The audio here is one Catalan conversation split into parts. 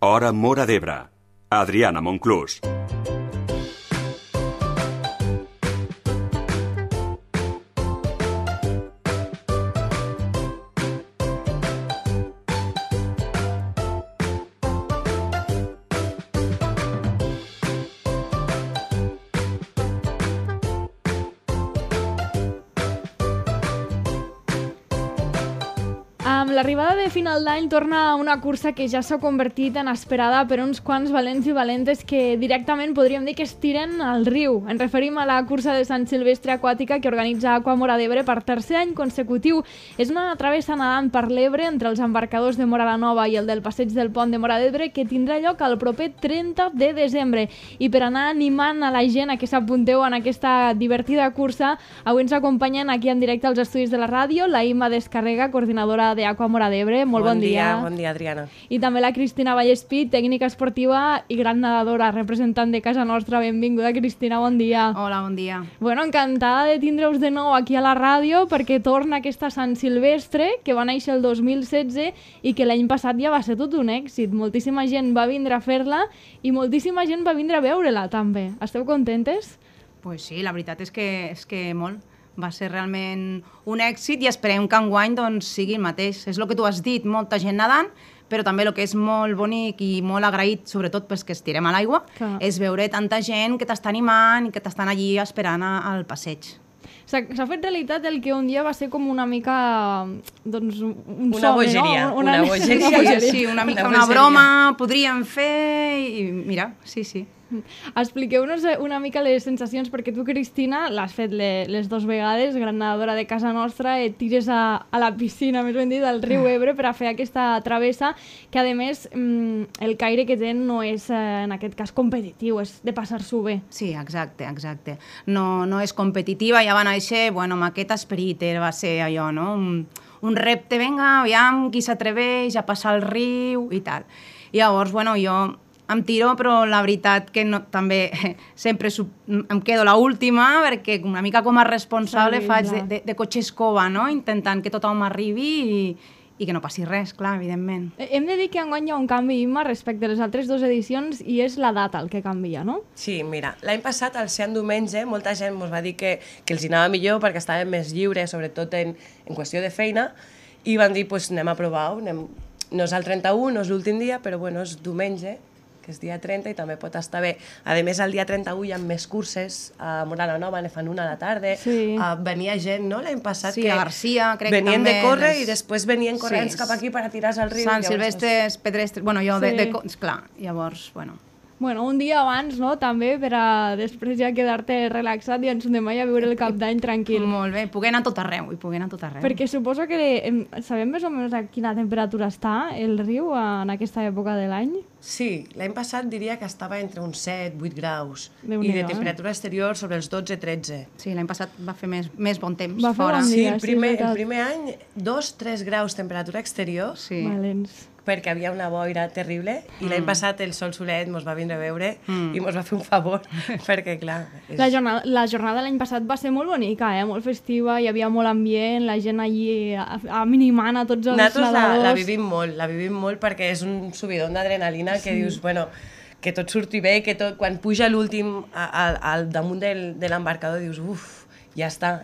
Hora Móra d'Ebre. Adriana Monclús. Amb l'arribada de final d'any torna una cursa que ja s'ha convertit en esperada per uns quants valents i valentes que directament podríem dir que es tiren al riu. Ens referim a la cursa de Sant Silvestre Aquàtica que organitza Aqua Móra d'Ebre per tercer any consecutiu. És una travessa nedant per l'Ebre entre els embarcadors de Móra la Nova i el del Passeig del Pont de Móra d'Ebre que tindrà lloc el proper 30 de desembre. I per anar animant a la gent a que s'apunteu en aquesta divertida cursa, avui ens acompanyen aquí en directe als estudis de la ràdio la Imma Descarrega, coordinadora de Aqua Móra d'Ebre. Molt bon dia. Bon dia, Adriana. I també la Cristina Vallespí, tècnica esportiva i gran nedadora, representant de casa nostra. Benvinguda, Cristina, bon dia. Hola, bon dia. Bueno, encantada de tindre-us de nou aquí a la ràdio perquè torna aquesta Sant Silvestre que va néixer el 2016 i que l'any passat ja va ser tot un èxit. Moltíssima gent va vindre a fer-la i moltíssima gent va vindre a veure-la també. Esteu contentes? Pues sí, la veritat és que molt. Va ser realment un èxit i esperem que enguany doncs, sigui el mateix. És el que tu has dit, molta gent nedant, però també el que és molt bonic i molt agraït, sobretot pels que estirem a l'aigua, és veure tanta gent que t'està animant i que t'estan allí esperant al passeig. S'ha fet realitat el que un dia va ser com una mica doncs, un una somni, bogeria, no? una bogeria. Sí, una mica una broma podríem fer i mira, sí. Expliqueu-nos una mica les sensacions, perquè tu, Cristina, l'has fet les dues vegades, gran nedadora de casa nostra, et tires a la piscina, més ben dit, del riu Ebre per a fer aquesta travessa, que a més el caire que té no és en aquest cas competitiu, és de passar-s'ho bé. Sí, exacte. No és competitiva, ja va néixer, bueno, amb aquest esperit, va ser allò, no? Un repte, vinga, aviam, qui s'atreveix a passar el riu i tal. I llavors, bueno, jo em tiro, però la veritat que no, també sempre em quedo l'última perquè una mica com a responsable faig de cotxe escova, no? Intentant que tothom arribi i que no passi res, clar, evidentment. Hem de dir que enguany hi ha un canvi, Imma, respecte a les altres dues edicions i és la data el que canvia, no? Sí, mira, l'any passat, al ser en diumenge, molta gent ens va dir que els hi anava millor perquè estaven més lliures, sobretot en qüestió de feina, i van dir, pues, anem a provar-ho, no és el 31, no és l'últim dia, però bueno, és diumenge, que és dia 30 i també pot estar bé. A més, el dia 31 hi ha més curses, a Móra la Nova ne fan una a la tarda, venia gent, no?, l'any passat, que a Garcia, crec que també. Venien de córrer i després venien corrents cap aquí per a tirar-se al riu. Sant Silvestre, Pedrestre, bueno, jo, clar, llavors, bueno. Bueno, un dia abans, no?, també, per a després ja quedar-te relaxat i ens anem a viure el cap d'any tranquil. Molt bé, poder anar a tot arreu, Perquè suposo que sabem més o menys a quina temperatura està el riu en aquesta època de l'any? Sí, l'any passat diria que estava entre uns 7-8 graus i de temperatura exterior sobre els 12-13. Sí, l'any passat va fer més bon temps fora. Bon dia, sí, el primer any 2-3 graus temperatura exterior. Sí. Valents. Perquè havia una boira terrible i l'any passat el sol solet ens va vindre a veure i ens va fer un favor, perquè clar... La jornada l'any passat va ser molt bonica, molt festiva, hi havia molt ambient, la gent allí minimant a tots els nedadors. Nosaltres la vivim molt perquè és un subidon d'adrenalina que dius, bueno, que tot surti bé, que tot, quan puja l'últim al damunt de l'embarcador dius, ja s'ha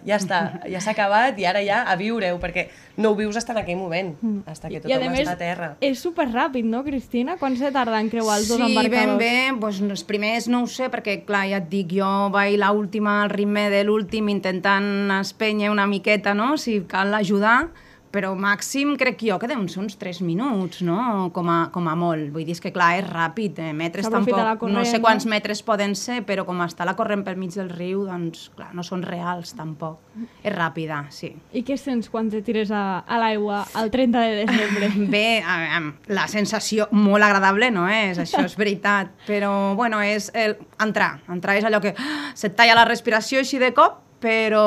acabat i ara ja a viure-ho, perquè no ho vius fins en aquell moment, fins que tothom està a terra. I a més, és superràpid, no, Cristina? Quan se tarda en creuar els dos embarcadors? Sí, ben bé, doncs els primers no ho sé, perquè clar, ja et dic, jo vaig l'última al ritme de l'últim intentant espènyer una miqueta, no?, si cal ajudar, però màxim crec jo que deuen ser uns 3 minuts, no?, com a molt. Vull dir, és que clar, és ràpid, metres tampoc, no sé quants metres poden ser, però com està la corrent pel mig del riu, doncs clar, no són reals tampoc. És ràpida, sí. I què sents quan te tires a l'aigua el 30 de desembre? Bé, la sensació molt agradable no és, això és veritat, però bueno, és entrar és allò que se't talla la respiració així de cop, però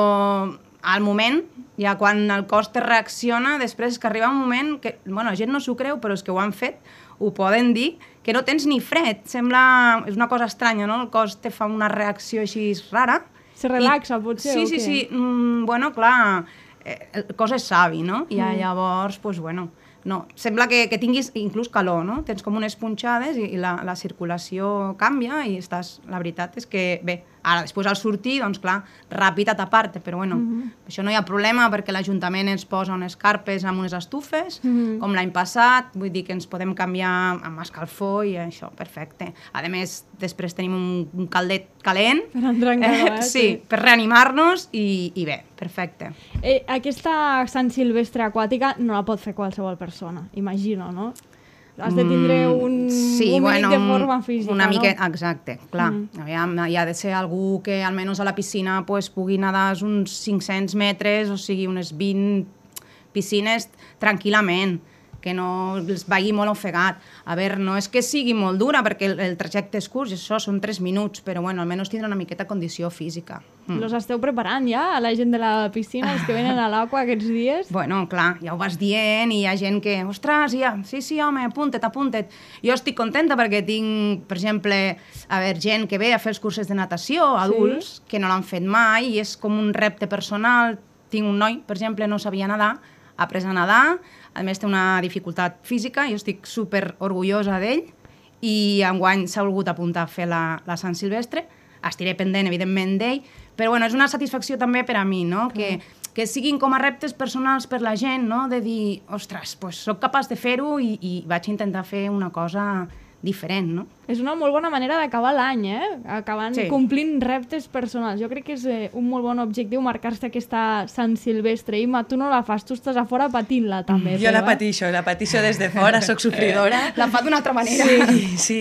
al moment, ja quan el cos te reacciona, després que arriba un moment que, bueno, la gent no s'ho creu, però és que ho han fet, ho poden dir, que no tens ni fred. Sembla, és una cosa estranya, no? El cos te fa una reacció així rara. Se relaxa, potser, o què? Sí. Bueno, clar, el cos és savi, no? I llavors, doncs, bueno, no, sembla que tinguis inclús calor, no? Tens com unes punxades i la circulació canvia i estàs... La veritat és que, bé, ara després al sortir, doncs clar, ràpid a tapar-te, però bueno, això no hi ha problema perquè l'Ajuntament ens posa unes carpes amb unes estufes, com l'any passat, vull dir que ens podem canviar amb escalfor i això, perfecte. A més, després tenim un caldet calent. Per entrar en calor, sí, per reanimar-nos i bé, perfecte. Aquesta Sant Silvestre aquàtica no la pot fer qualsevol persona, imagino, no? Has de tindre un mínim de forma física, una mica, no? Exacte, clar. Aviam, hi ha de ser algú que almenys a la piscina pues, pugui nedar uns 500 metres, o sigui, unes 20 piscines tranquil·lament, que no els vagi molt ofegat. A veure, no és que sigui molt dura, perquè el trajecte és curt, i això són 3 minuts, però bueno, almenys tindrà una miqueta condició física. Los esteu preparant ja, a la gent de la piscina, els que venen a l'aigua aquests dies? Bueno, clar, ja ho vas dient i hi ha gent que, ostres, ja, sí, home, apunta't. Jo estic contenta perquè tinc, per exemple, gent que ve a fer els cursos de natació, adults, que no l'han fet mai, i és com un repte personal. Tinc un noi, per exemple, no sabia nedar, ha après a nedar, a més té una dificultat física, jo estic super orgullosa d'ell, i enguany s'ha volgut apuntar a fer la Sant Silvestre, estiré pendent, evidentment, d'ell, però bueno, és una satisfacció també per a mi, no? Que siguin com a reptes personals per la gent, no? De dir, ostres, pues, soc capaç de fer-ho i vaig intentar fer una cosa diferent, no? És una molt bona manera d'acabar l'any, acabant complint reptes personals. Jo crec que és un molt bon objectiu marcar-se aquesta Sant Silvestre. Imma, tu no la fas, tu estàs a fora patint-la també. Jo la patixo des de fora, soc sofridora. La fa d'una altra manera. Sí,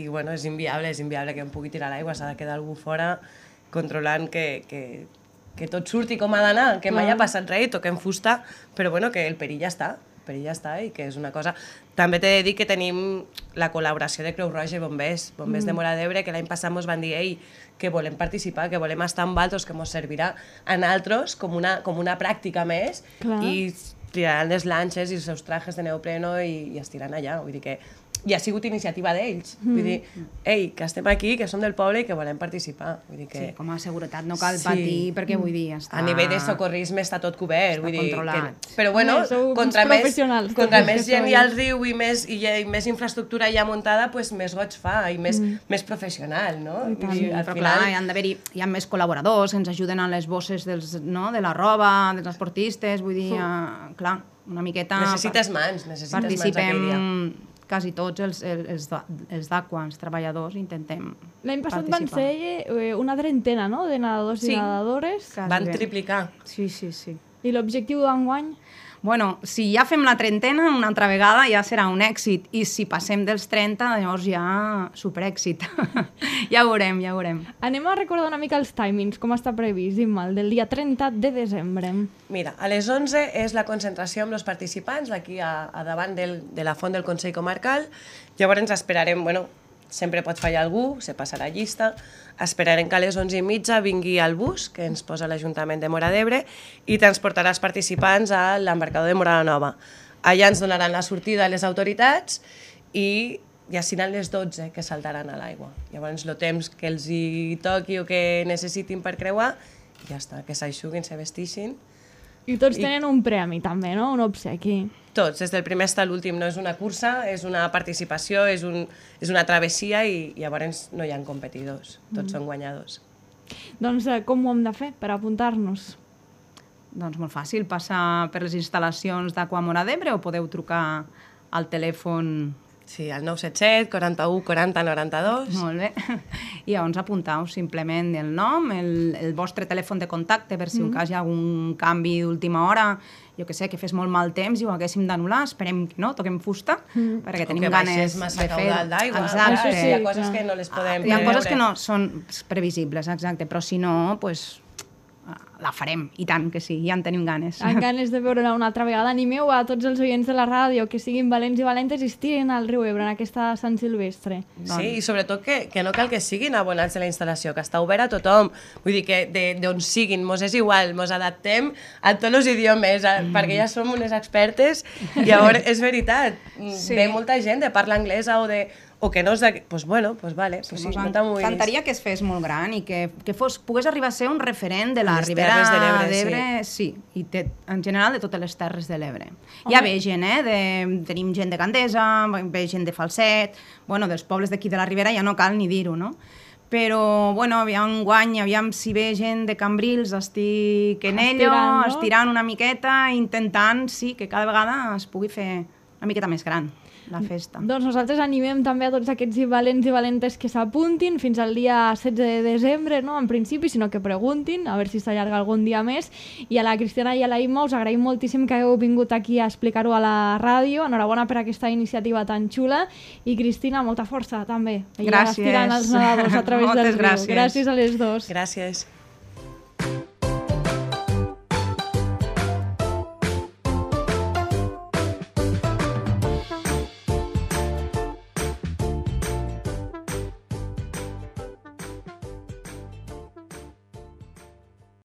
i bueno, és inviable que em pugui tirar a l'aigua, s'ha de quedar algú fora controlant que tot surti com ha d'anar, que mai ha passat res, toquem fusta, però bueno, que el perill ja està i que és una cosa... També t'he de dir que tenim la col·laboració de Creu Roja i Bombers de Móra d'Ebre, que l'any passat ens van dir que volem participar, que volem estar amb altres, que ens servirà a nosaltres com una pràctica més. Clar. I tiraran les lanxes i els seus trajes de neopreno i es tiran allà. Vull dir que i ha sigut iniciativa d'ells. Vull dir, que estem aquí, que som del poble i que volem participar. Vull dir que... Sí, com a seguretat no cal patir, perquè vull dir, està... A nivell de socorrisme està tot cobert. Està controlat. Però bueno, contra més gent hi ha al riu i més infraestructura ja muntada, més goig fa i més professional, no? Però clar, hi ha més col·laboradors, ens ajuden a les bosses de la roba, dels esportistes, vull dir, clar, una miqueta... Necessites mans aquell dia. Quasi tots els d'Aqua, els treballadors, intentem participar. L'any passat van ser una trentena, no?, de nedadors i nedadores. Van triplicar. Sí. I l'objectiu d'enguany? Bueno, si ja fem la trentena una altra vegada ja serà un èxit, i si passem dels 30, llavors ja superèxit. Ja ho veurem. Anem a recordar una mica els timings, com està previst, Imma, el del dia 30 de desembre. Mira, a les 11 és la concentració amb els participants, aquí a davant de la font del Consell Comarcal. Llavors ens esperarem, sempre pot fallar algú, se passarà llista, esperarem que a les 11:30 vingui el bus que ens posa l'Ajuntament de Móra d'Ebre i transportarà els participants a l'embarcador de Móra la Nova. Allà ens donaran la sortida a les autoritats i ja seran les 12 que saltaran a l'aigua. Llavors el temps que els hi toqui o que necessitin per creuar, ja està, que s'aixuguin, se vestixin. I tots tenen un premi també, no? Un obsequi. Tots, des del primer fins a l'últim. No és una cursa, és una participació, és una travessia i llavors no hi ha competidors. Tots són guanyadors. Doncs com ho hem de fer per apuntar-nos? Doncs molt fàcil, passar per les instal·lacions d'Aqua Móra d'Ebre o podeu trucar al telèfon... Sí, al 977 41 40 92. Molt bé. I llavors apuntau simplement el nom, el vostre telèfon de contacte, per si en cas hi ha algun canvi d'última hora, jo que sé, que fes molt mal temps i ho haguéssim d'anul·lar, esperem que no, toquem fusta, perquè tenim ganes de fer... O que baixés massa caudal d'aigua. Exacte. Hi ha coses que no les podem preveure. Hi ha coses que no són previsibles, exacte, però si no, doncs... la farem, i tant que sí, ja en tenim ganes. Amb ganes de veure-la una altra vegada. Animeu a tots els oients de la ràdio que siguin valents i valentes i es tirin al riu Ebre en aquesta Sant Silvestre. Sí, i sobretot que no cal que siguin abonats de la instal·lació, que està obert a tothom. Vull dir que d'on siguin, mos és igual, mos adaptem a tots els idiomes, perquè ja som unes expertes, i llavors és veritat, ve molta gent de parla anglesa o que no és de... Doncs bueno, vale. M'encantaria que es fes molt gran i que pogués arribar a ser un referent de la Ribera Terres de l'Ebre, d'Ebre, sí, i en general de totes les Terres de l'Ebre. Hi ha bé gent, tenim gent de Gandesa, ve gent de Falset, bueno, dels pobles d'aquí de la Ribera ja no cal ni dir-ho, no? Però, bueno, aviam guany, aviam si ve gent de Cambrils, estic en ello, estirant una miqueta, intentant, sí, que cada vegada es pugui fer una miqueta més gran la festa. Doncs nosaltres animem també a tots aquests valents i valentes que s'apuntin fins al dia 16 de desembre, no en principi, sinó que preguntin, a veure si s'allarga algun dia més. I a la Cristina i a la Imma us agraïm moltíssim que hagueu vingut aquí a explicar-ho a la ràdio. Enhorabona per aquesta iniciativa tan xula. I Cristina, molta força també. Gràcies. Estirant els nedadors a través del riu. Gràcies. Gràcies a les dos. Gràcies.